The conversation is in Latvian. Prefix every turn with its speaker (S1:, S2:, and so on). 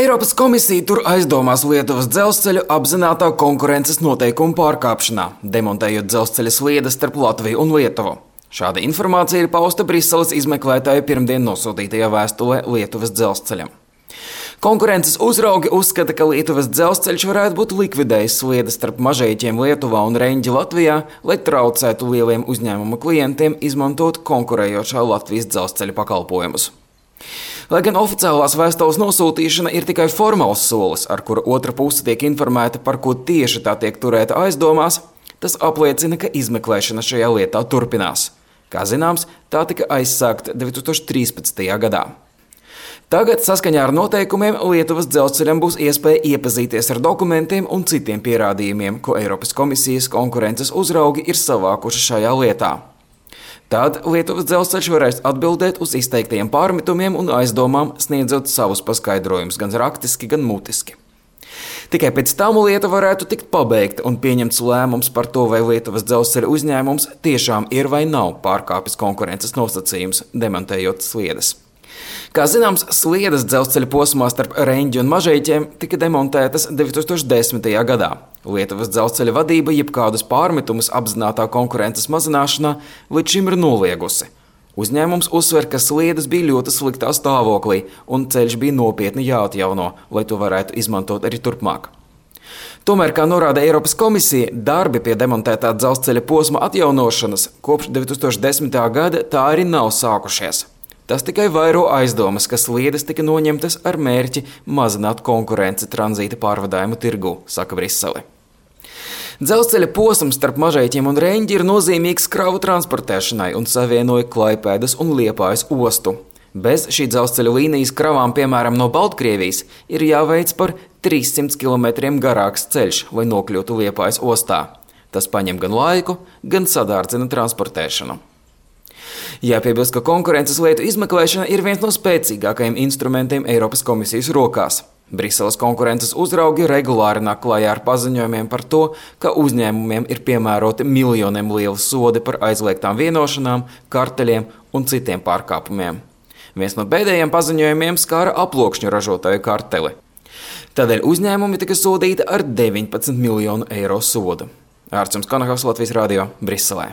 S1: Eiropas komisija tur aizdomās Lietuvas dzelzceļu apzinātā konkurences noteikumu pārkāpšanā, demontējot dzelzceļa sliedes starp Latviju un Lietuvu. Šāda informācija ir pausta Briseles izmeklētāju pirmdien nosūtītajā vēstulē Lietuvas dzelzceļam. Konkurences uzraugi uzskata, ka Lietuvas dzelzceļš varētu būt likvidējis sliedes starp Mažeiķiem Lietuvā un Reņģi Latvijā, lai traucētu lieliem uzņēmuma klientiem izmantot konkurējošā Latvijas dzelzceļa pakalpojumus. Lai gan oficiālās vēstules nosūtīšana ir tikai formāls solis, ar kuru otra puse tiek informēta, par ko tieši tā tiek turēta aizdomās, tas apliecina, ka izmeklēšana šajā lietā turpinās. Kā zināms, tā tika aizsākta 2013. gadā. Tagad, saskaņā ar noteikumiem, Lietuvas dzelzceļam būs iespēja iepazīties ar dokumentiem un citiem pierādījumiem, ko Eiropas komisijas konkurences uzraugi ir savākuši šajā lietā. Tad Lietuvas dzelzceļš varēs atbildēt uz izteiktajiem pārmetumiem un aizdomām, sniedzot savus paskaidrojumus gan rakstiski, gan mutiski. Tikai pēc tam lieta varētu tikt pabeigta un pieņemts lēmums par to, vai Lietuvas dzelzceļa uzņēmums tiešām ir vai nav pārkāpis konkurences nosacījumus, demontējot sliedes. Kā zināms, sliedes dzelzceļa posmā starp Reņģi un Mažeiķiem tika demontētas 2010. gadā. Lietuvas dzelzceļa vadība jebkādus pārmetumus apzinātā konkurences mazināšanā līdz šim ir noliegusi. Uzņēmums uzsver, ka sliedes bija ļoti sliktā stāvoklī un ceļš bija nopietni jāatjauno, lai to varētu izmantot arī turpmāk. Tomēr, kā norāda Eiropas komisija, darbi pie demontētā dzelzceļa posma atjaunošanas kopš 2010. gada tā arī nav sākušies. Tas tikai vairo aizdomas, ka sliedes tika noņemtas ar mērķi mazināt konkurenci tranzīta pārvadājumu tirgu, saka Brisele. Dzelzceļa posms starp Mažeiķiem un Reņģi ir nozīmīgs kravu transportēšanai un savienoja Klaipēdas un Liepājas ostu. Bez šī dzelzceļa līnijas kravām, piemēram, no Baltkrievijas, ir jāveic par 300 km garāks ceļš, lai nokļūtu Liepājas ostā. Tas paņem gan laiku, gan sadārdzina transportēšanu. Jāpiebilst, ka konkurences lietu izmeklēšana ir viens no spēcīgākajiem instrumentiem Eiropas komisijas rokās. Briseles konkurences uzraugi regulāri nāk klajā ar paziņojumiem par to, ka uzņēmumiem ir piemēroti miljoniem lieli sodi par aizliegtām vienošanām, karteļiem un citiem pārkāpumiem. Viens no pēdējiem paziņojumiem skāra aploksņu ražotāju karteli. Tādēļ uzņēmumi tika sodīti ar 19 miljonu eiro sodu. Ārts Konahovs, Latvijas radio, Briselē.